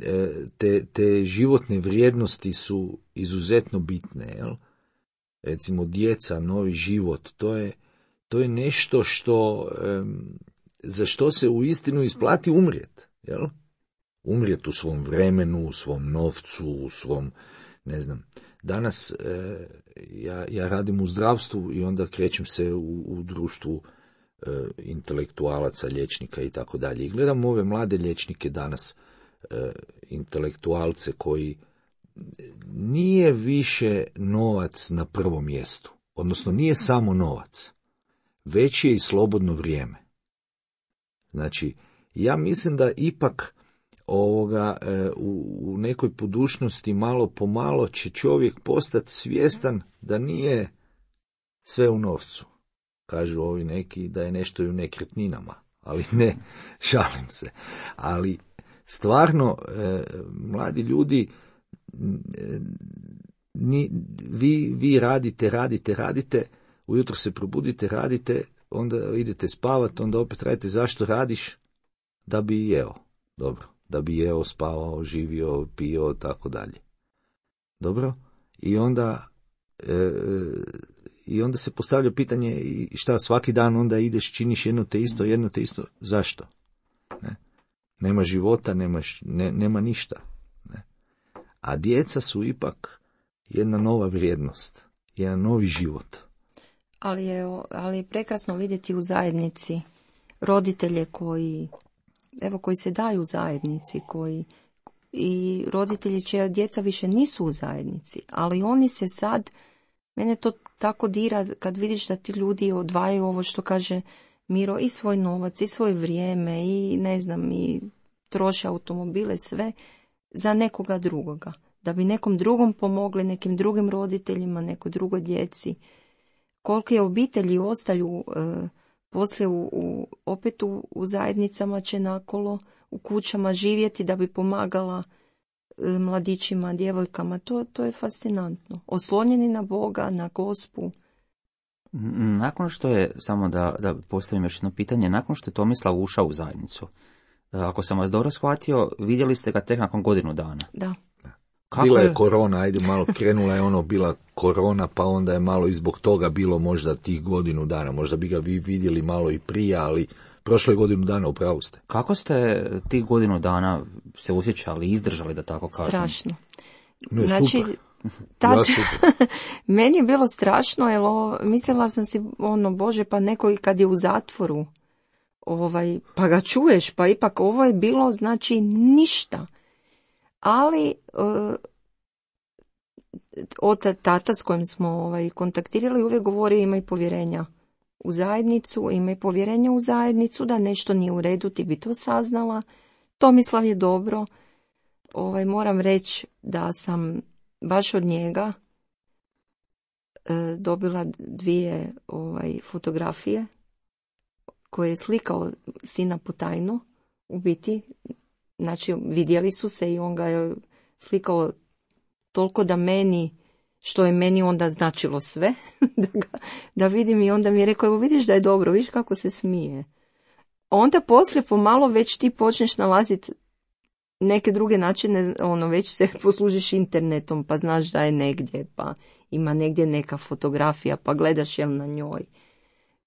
e, te, te životne vrijednosti su izuzetno bitne, jel? Recimo djeca, novi život, to je, to je nešto što, e, za što se uistinu isplati umrijeti, jel? Umrijeti u svom vremenu, u svom novcu, u svom, ne znam. Danas e, ja, ja radim u zdravstvu i onda krećem se u, u društvu e, intelektualaca, liječnika i tako dalje. I gledam ove mlade liječnike danas, e, intelektualce koji nije više novac na prvom mjestu. Odnosno nije samo novac, već je i slobodno vrijeme. Znači, ja mislim da ipak ovoga e, u, u nekoj budućnosti malo po malo će čovjek postati svjestan da nije sve u novcu. Kažu ovi neki da je nešto i u nekretninama, ali ne, šalim se. Ali stvarno, e, mladi ljudi, e, ni, vi, vi radite, radite, radite, ujutro se probudite, radite, onda idete spavati, onda opet radite. Zašto radiš? Da bi jeo. Dobro. Da bi jeo, spavao, živio, pio, tako dalje. Dobro? I onda, e, i onda se postavlja pitanje šta svaki dan onda ideš, činiš jedno te isto, jedno te isto. Zašto? Ne? Nema života, nemaš, ne, nema ništa. Ne? A djeca su ipak jedna nova vrijednost, jedan novi život. Ali je, ali je prekrasno vidjeti u zajednici roditelje koji, evo, koji se daju u zajednici, koji i roditelji čija djeca više nisu u zajednici, ali oni se sad, mene to tako dira kad vidiš da ti ljudi odvajaju ovo što kaže Miro, i svoj novac, i svoje vrijeme, i ne znam, i troše automobile, sve za nekoga drugoga. da bi nekom drugom pomogli, nekim drugim roditeljima, nekoj drugoj djeci. Kolike obitelji ostaju e, poslije u, u, opet u, u zajednicama će nakolo, u kućama živjeti da bi pomagala e, mladićima, djevojkama. To, to je fascinantno. Oslonjeni na Boga, na Gospu. Nakon što je, samo da, da postavim još jedno pitanje, nakon što je Tomislav ušao u zajednicu, ako sam vas dobro shvatio, vidjeli ste ga tek nakon godinu dana. Da. Kako bila je, je korona, ajde malo, krenula je ono, bila korona, pa onda je malo i zbog toga bilo možda tih godinu dana. Možda bi ga vi vidjeli malo i prije, ali prošle godinu dana upravo ste. Kako ste tih godinu dana se osjećali, izdržali, da tako kažem? Strašno. Ne, znači, super. Tad, ja, super. meni je bilo strašno, jer o, mislila sam si, ono, Bože, pa neko kad je u zatvoru, ovaj, pa ga čuješ, pa ipak ovo je bilo, znači, ništa. Ali uh, od tata s kojim smo ovaj, kontaktirali uvijek govori imaj povjerenja u zajednicu, imaj povjerenja u zajednicu, da nešto nije u redu, ti bi to saznala. Tomislav je dobro. Ovaj, moram reći da sam baš od njega uh, dobila dvije ovaj, fotografije koje je slikao sina potajno, u biti. Znači, vidjeli su se i on ga je slikao toliko da meni, što je meni onda značilo sve, da, ga, da vidim, i onda mi je rekao, evo vidiš da je dobro, vidiš kako se smije. Onda poslije pomalo već ti počneš nalaziti neke druge načine, ono, već se poslužiš internetom, pa znaš da je negdje, pa ima negdje neka fotografija, pa gledaš jel na njoj,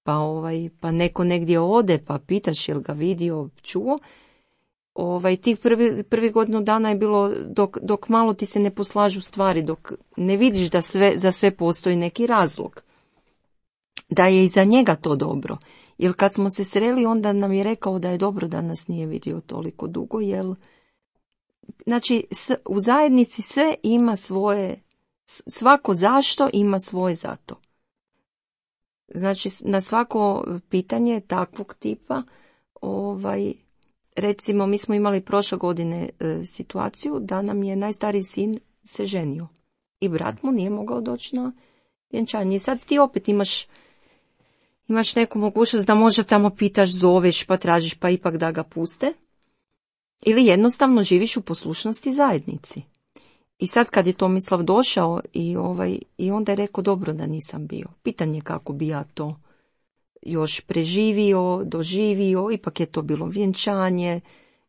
pa, ovaj, pa neko negdje ode, pa pitaš jel ga vidio, čuo. Ovaj, tih prvi, prvi godinu dana je bilo dok, dok malo ti se ne poslažu stvari, dok ne vidiš da sve, za sve postoji neki razlog. Da je i za njega to dobro. Jer kad smo se sreli, onda nam je rekao da je dobro da nas nije vidio toliko dugo, jer znači u zajednici sve ima svoje, svako zašto ima svoje zato. Znači na svako pitanje takvog tipa, ovaj, recimo, mi smo imali prošle godine e, situaciju da nam je najstariji sin se ženio i brat mu nije mogao doći na vjenčanje. I sad ti opet imaš, imaš neku mogućnost da možda tamo pitaš, zoveš, pa tražiš, pa ipak da ga puste. Ili jednostavno živiš u poslušnosti zajednici. I sad kad je Tomislav došao i, ovaj, i onda je rekao, dobro da nisam bio. Pitanje kako bi ja to još preživio, doživio, ipak je to bilo vjenčanje,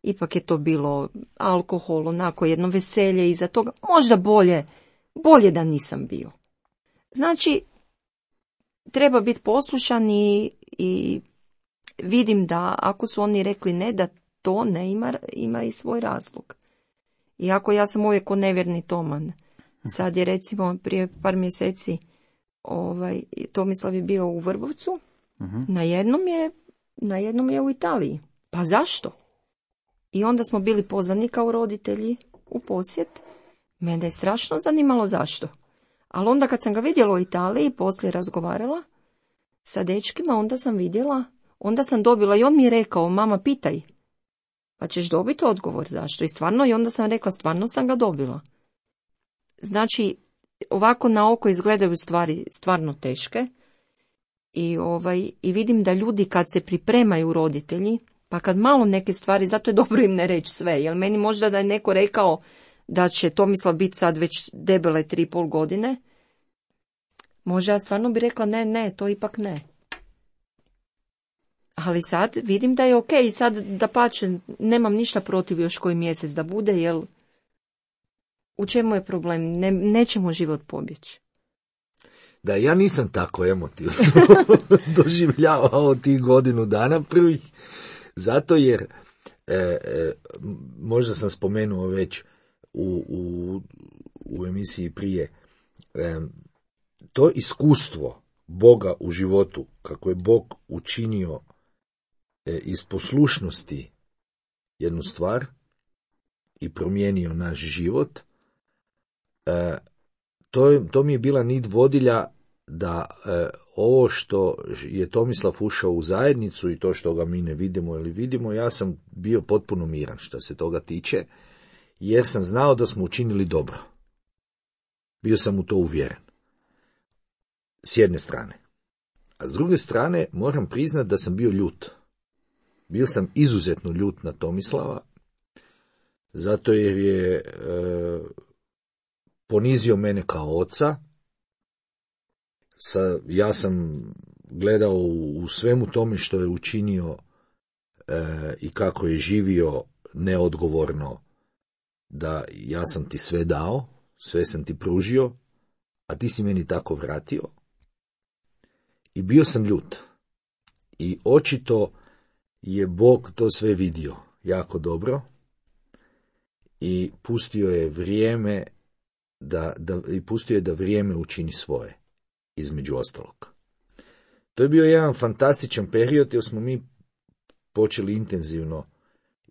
ipak je to bilo alkohol, onako jedno veselje iza toga, možda bolje, bolje da nisam bio. Znači, treba biti poslušan i, i vidim da ako su oni rekli ne, da to ne ima, ima i svoj razlog. Iako ja sam uvijek ko nevjerni Toman. Sad je recimo prije par mjeseci ovaj, Tomislav je bio u Vrbovcu, uh-huh. na jednom je, na jednom je u Italiji. Pa zašto? I onda smo bili pozvani kao roditelji u posjet. Mene je strašno zanimalo zašto. Ali onda kad sam ga vidjela u Italiji, poslije razgovarala sa dečkima, onda sam vidjela, onda sam dobila i on mi je rekao, mama pitaj, pa ćeš dobiti odgovor zašto. I stvarno, i onda sam rekla, stvarno sam ga dobila. Znači, ovako na oko izgledaju stvari stvarno teške. I, ovaj, i vidim da ljudi kad se pripremaju roditelji, pa kad malo neke stvari, zato je dobro im ne reći sve, jer meni možda da je neko rekao da će Tomislav biti sad već debele tri i pol godine, možda ja stvarno bi rekla ne, ne, to ipak ne. Ali sad vidim da je ok, sad da pače, nemam ništa protiv još koji mjesec da bude, jer u čemu je problem, ne, nećemo život pobjeći. Da, ja nisam tako emotivno doživljavao tih godinu dana prvih, zato jer, e, e, možda sam spomenuo već u, u, u emisiji prije, e, to iskustvo Boga u životu, kako je Bog učinio e, iz poslušnosti jednu stvar i promijenio naš život, e, to, je, to mi je bila nit vodilja da e, ovo što je Tomislav ušao u zajednicu i to što ga mi ne vidimo ili vidimo, ja sam bio potpuno miran što se toga tiče, jer sam znao da smo učinili dobro. Bio sam u to uvjeren. S jedne strane. A s druge strane, moram priznati da sam bio ljut. Bio sam izuzetno ljut na Tomislava, zato jer je e, ponizio mene kao oca. Sa, ja sam gledao u, u svemu tome što je učinio e, i kako je živio neodgovorno, da ja sam ti sve dao, sve sam ti pružio, a ti si meni tako vratio. I bio sam ljut. I očito je Bog to sve vidio jako dobro i pustio je vrijeme da, da, i pustio je da vrijeme učini svoje, između ostalog. To je bio jedan fantastičan period jer smo mi počeli intenzivno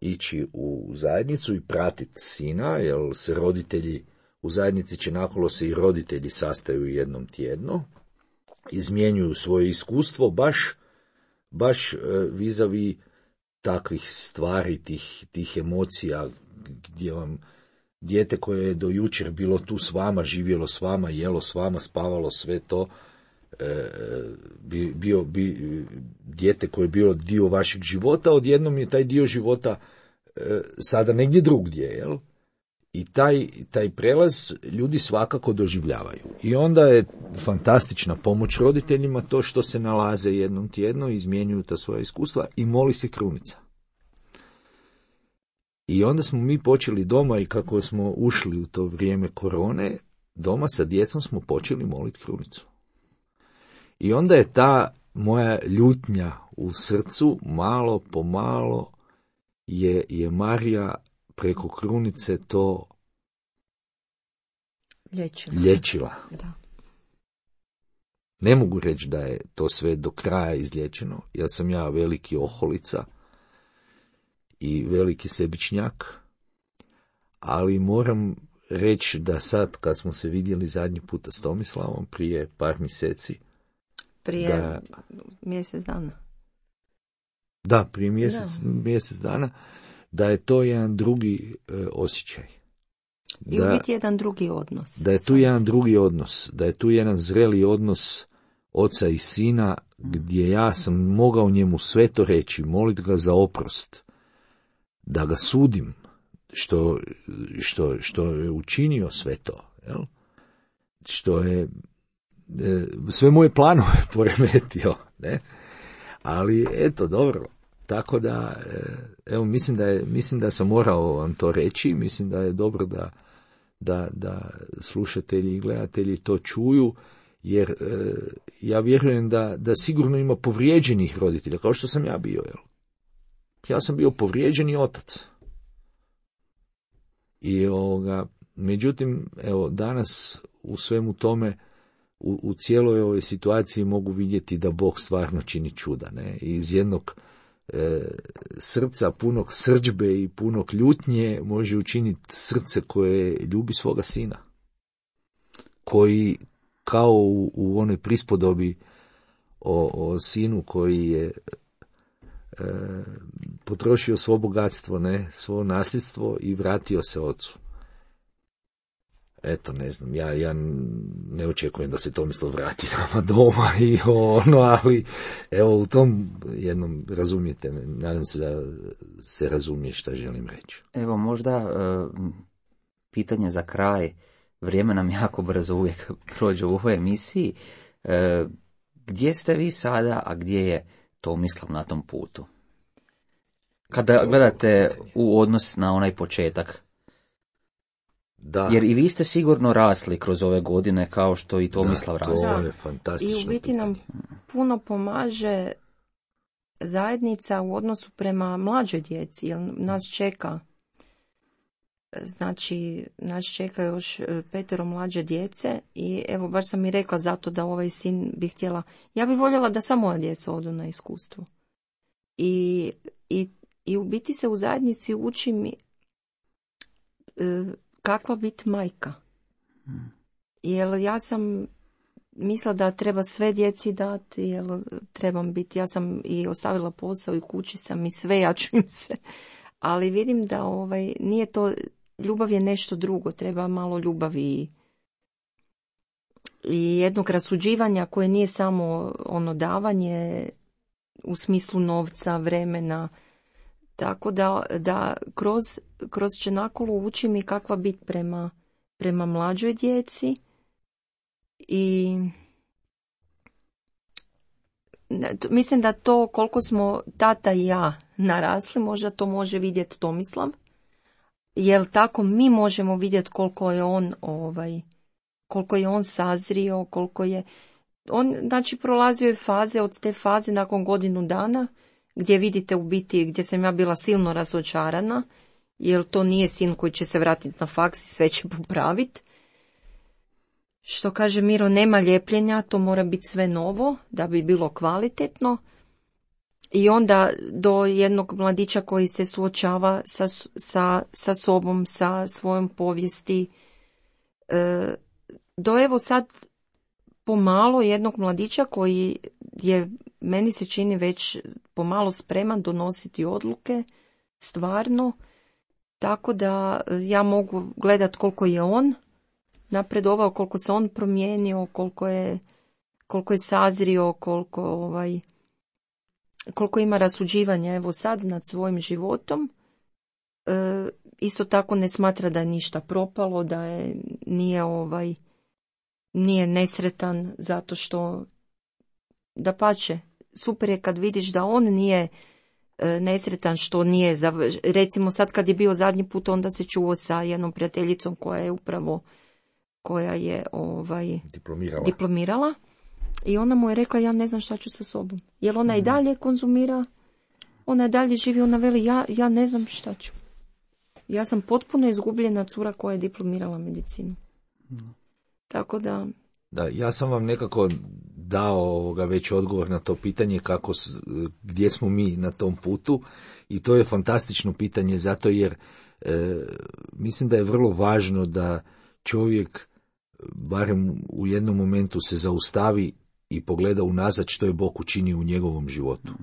ići u zajednicu i pratiti sina, jer se roditelji, u zajednici Čenakolo se i roditelji sastaju jednom tjedno, izmjenjuju svoje iskustvo baš, baš vizavi takvih stvari, tih, tih emocija, gdje vam dijete koje je do jučer bilo tu s vama, živjelo s vama, jelo s vama, spavalo, sve to, e, bi, bio bi dijete koje je bilo dio vašeg života, odjednom je taj dio života e, sada negdje drugdje, jel? I taj, taj prelaz ljudi svakako doživljavaju. I onda je fantastična pomoć roditeljima to što se nalaze jednom tjedno, izmjenjuju ta svoja iskustva i moli se krunica. I onda smo mi počeli doma i kako smo ušli u to vrijeme korone, doma sa djecom smo počeli moliti krunicu. I onda je ta moja ljutnja u srcu malo po malo je, je Marija preko krunice to Lječila. lječila. Da. Ne mogu reći da je to sve do kraja izlječeno. Ja sam ja veliki oholica i veliki sebičnjak, ali moram reći da sad kad smo se vidjeli zadnji puta s Tomislavom prije par mjeseci, Prije da, mjesec dana. Da, prije mjesec, mjesec dana, da je to jedan drugi e, osjećaj. I Da, u biti jedan drugi odnos. da je tu jedan drugi odnos, da je tu jedan zreli odnos oca i sina, gdje ja sam mogao njemu sve to reći, moliti ga za oprost, da ga sudim, što, što, što je učinio sve to, jel? Što je e, sve moje planove poremetio, ne? Ali eto, dobro. Tako da, evo, mislim da, je, mislim da sam morao vam to reći, mislim da je dobro da, da, da slušatelji i gledatelji to čuju, jer e, ja vjerujem da, da sigurno ima povrijeđenih roditelja, kao što sam ja bio. Jel? Ja sam bio povrijeđeni otac. I ovoga, međutim, evo, danas u svemu tome, u, u cijeloj ovoj situaciji mogu vidjeti da Bog stvarno čini čuda, ne? I iz jednog e, srca punog srdžbe i punog ljutnje može učiniti srce koje ljubi svoga sina, koji kao u, u onoj prispodobi o, o sinu koji je e, potrošio svo bogatstvo, ne, svo nasljedstvo i vratio se ocu. Eto, ne znam, ja, ja ne očekujem da se Tomislav vrati nama doma i ono, ali evo u tom jednom razumijete me, nadam se da se razumije šta želim reći. Evo možda uh, pitanje za kraj, vrijeme nam jako brzo uvijek prođe u ovoj emisiji. Uh, gdje ste vi sada, a gdje je Tomislav na tom putu? Kada gledate u odnos na onaj početak. Da. Jer i vi ste sigurno rasli kroz ove godine kao što i Tomislav da, rasli. to je fantastično. I u biti nam puno pomaže zajednica u odnosu prema mlađoj djeci, jer nas čeka, znači nas čeka još petero mlađe djece i evo baš sam i rekla zato da ovaj sin bi htjela, ja bi voljela da samo moja djeca odu na iskustvo. I, i, i u biti se u zajednici uči mi e, kakva biti majka. Hmm. Jer ja sam mislila da treba sve djeci dati, jer trebam biti, ja sam i ostavila posao i kući sam i sve, ja ću im se. Ali vidim da ovaj, nije to, ljubav je nešto drugo, treba malo ljubavi i jednog rasuđivanja koje nije samo ono davanje u smislu novca, vremena. Tako da, da kroz, kroz Čenakolu uči mi kakva biti prema, prema mlađoj djeci i mislim da to koliko smo tata i ja narasli, možda to može vidjeti Tomislav, jer tako mi možemo vidjeti koliko je on ovaj, koliko je on sazrio, koliko je on, znači prolazio je faze, od te faze nakon godinu dana gdje vidite u biti gdje sam ja bila silno razočarana, jer to nije sin koji će se vratiti na faks i sve će popraviti. Što kaže Miro, nema ljepljenja, to mora biti sve novo da bi bilo kvalitetno. I onda do jednog mladića koji se suočava sa, sa, sa sobom, sa svojom povijesti. E, do evo sad pomalo jednog mladića koji je, meni se čini već pomalo spreman donositi odluke, stvarno. Tako da ja mogu gledati koliko je on napredovao, koliko se on promijenio, koliko je, koliko je sazrio, koliko, ovaj, koliko ima rasuđivanja evo sad nad svojim životom. E, isto tako ne smatra da je ništa propalo, da je, nije, ovaj, nije nesretan zato što, dapače, super je kad vidiš da on nije e, nesretan što nije, zav... recimo sad kad je bio zadnji put onda se čuo sa jednom prijateljicom koja je upravo koja je ovaj, diplomirala. diplomirala i ona mu je rekla ja ne znam šta ću sa sobom. Jer ona mm. i dalje konzumira, ona i dalje živi, ona veli ja, ja ne znam šta ću. Ja sam potpuno izgubljena cura koja je diplomirala medicinu. Mm. Tako da... Da, ja sam vam nekako dao ovoga već odgovor na to pitanje kako, gdje smo mi na tom putu i to je fantastično pitanje zato jer e, mislim da je vrlo važno da čovjek barem u jednom momentu se zaustavi i pogleda unazad što je Bog učinio u njegovom životu.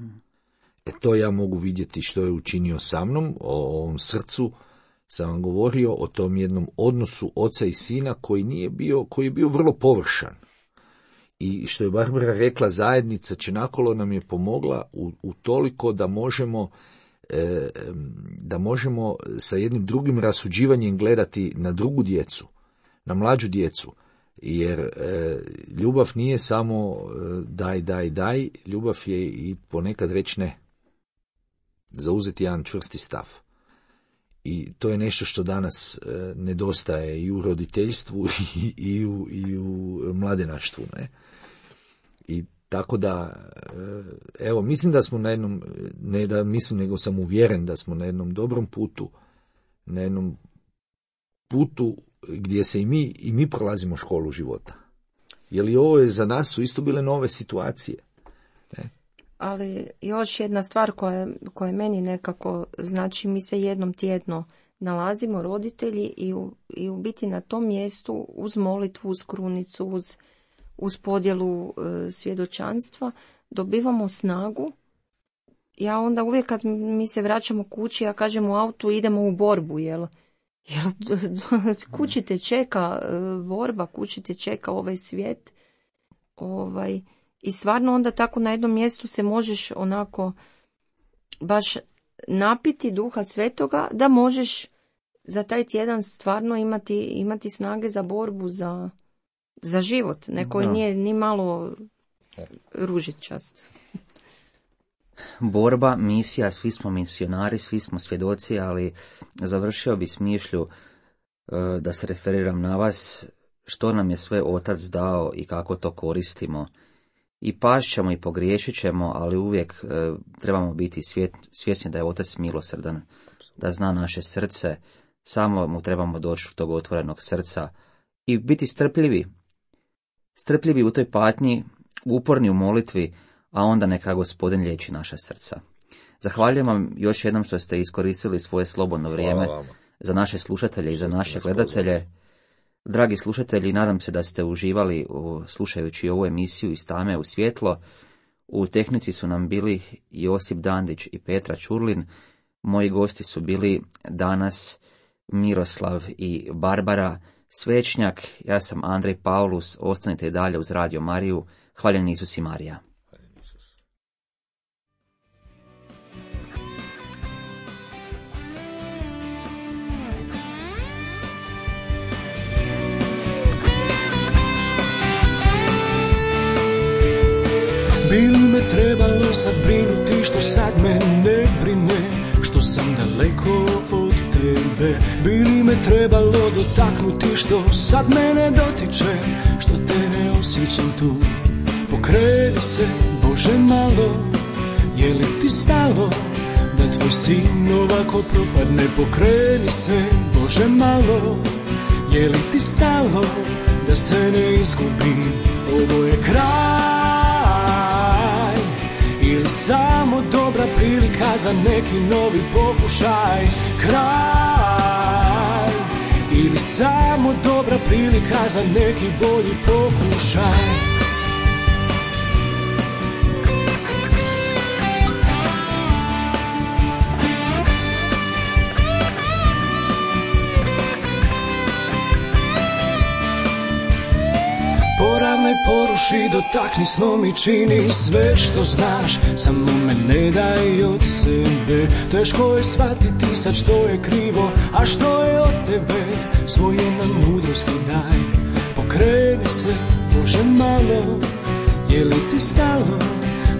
E to ja mogu vidjeti što je učinio sa mnom, o ovom srcu sam vam govorio, o tom jednom odnosu oca i sina koji nije bio, koji je bio vrlo površan. I što je Barbara rekla, zajednica Čenakolo nam je pomogla u, u toliko da možemo e, da možemo sa jednim drugim rasuđivanjem gledati na drugu djecu, na mlađu djecu, jer e, ljubav nije samo e, daj, daj, daj, ljubav je i ponekad reći ne, zauzeti jedan čvrsti stav. I to je nešto što danas e, nedostaje i u roditeljstvu i, i, u, i u mladenaštvu. Ne? I tako da, e, evo, mislim da smo na jednom, ne da mislim, nego sam uvjeren da smo na jednom dobrom putu, na jednom putu gdje se i mi, i mi prolazimo školu života. Jer i ovo je za nas su isto bile nove situacije. Ne? Ali još jedna stvar koja, koja meni nekako, znači mi se jednom tjedno nalazimo roditelji i u, i u biti na tom mjestu uz molitvu, uz krunicu, uz, uz podjelu e, svjedočanstva dobivamo snagu. Ja onda uvijek kad mi se vraćamo kući, ja kažem u autu idemo u borbu, jel? Jel kući te čeka e, borba, kući te čeka ovaj svijet, ovaj... I stvarno onda tako na jednom mjestu se možeš onako baš napiti Duha Svetoga da možeš za taj tjedan stvarno imati, imati snage za borbu, za, za život. Neko no. nije ni malo ružičast. Borba, misija, svi smo misionari, svi smo svjedoci, ali završio bi s mišlju da se referiram na vas, što nam je sve Otac dao i kako to koristimo. I pašćemo i pogriješit ćemo, ali uvijek e, trebamo biti svjet, svjesni da je Otac milosrdan, da zna naše srce, samo mu trebamo doći u tog otvorenog srca i biti strpljivi. Strpljivi u toj patnji, uporni u molitvi, a onda neka Gospodin liječi naša srca. Zahvaljujem vam još jednom što ste iskoristili svoje slobodno vrijeme za naše slušatelje i za naše gledatelje. Dragi slušatelji, nadam se da ste uživali u, slušajući ovu emisiju iz tame u svjetlo. U tehnici su nam bili Josip Dandić i Petra Čurlin. Moji gosti su bili danas Miroslav i Barbara. Svećnjak, ja sam Andrej Paulus, ostanite i dalje uz Radio Mariju, hvaljen Isus i Marija. Bi li me trebalo sad brinuti što sad me ne brine, što sam daleko od tebe? Bi li me trebalo dotaknuti što sad mene dotiče, što te ne osjećam tu? Pokreni se, Bože, malo, je li ti stalo da tvoj sin ovako propadne? Pokreni se, Bože, malo, je li ti stalo da se ne izgubim? Ovo je kraj ili samo dobra prilika za neki novi pokušaj? Kraj ili samo dobra prilika za neki bolji pokušaj? Poravnaj, poruši, dotakni, slomi, čini sve što znaš, samo me ne daj od sebe. Teško je shvatiti sad što je krivo, a što je od tebe, svoje nam mudrosti daj. Pokreni se, Bože, malo, je li ti stalo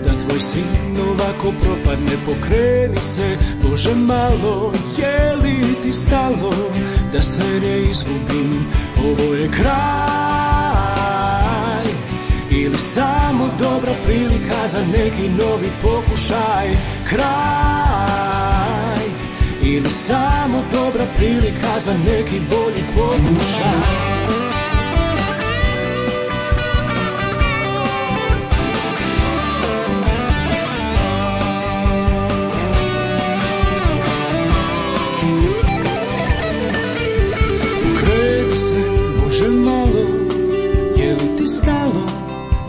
da tvoj sin ovako propadne? Pokreni se, Bože, malo, je li ti stalo da se ne izgubim? Ovo je kraj ili samo dobra prilika za neki novi pokušaj? Kraj ili samo dobra prilika za neki bolji pokušaj? Pokreni se, Bože, malo, je li ti stalo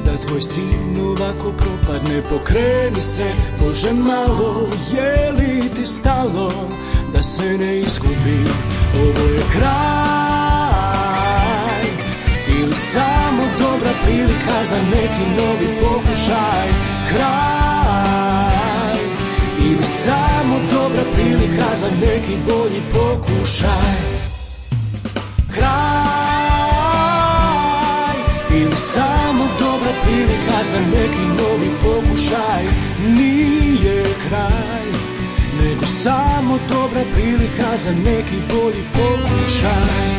da tvoj sin ovako propadne? Pokreni se, Bože, malo, je li ti stalo da se ne izgubim? Ovo je kraj ili samo dobra prilika za neki novi pokušaj? Kraj ili samo dobra prilika za neki bolji pokušaj? Kraj ili samo dobra prilika za neki novi pokušaj? Nije kraj, nego samo dobra prilika za neki bolji pokušaj.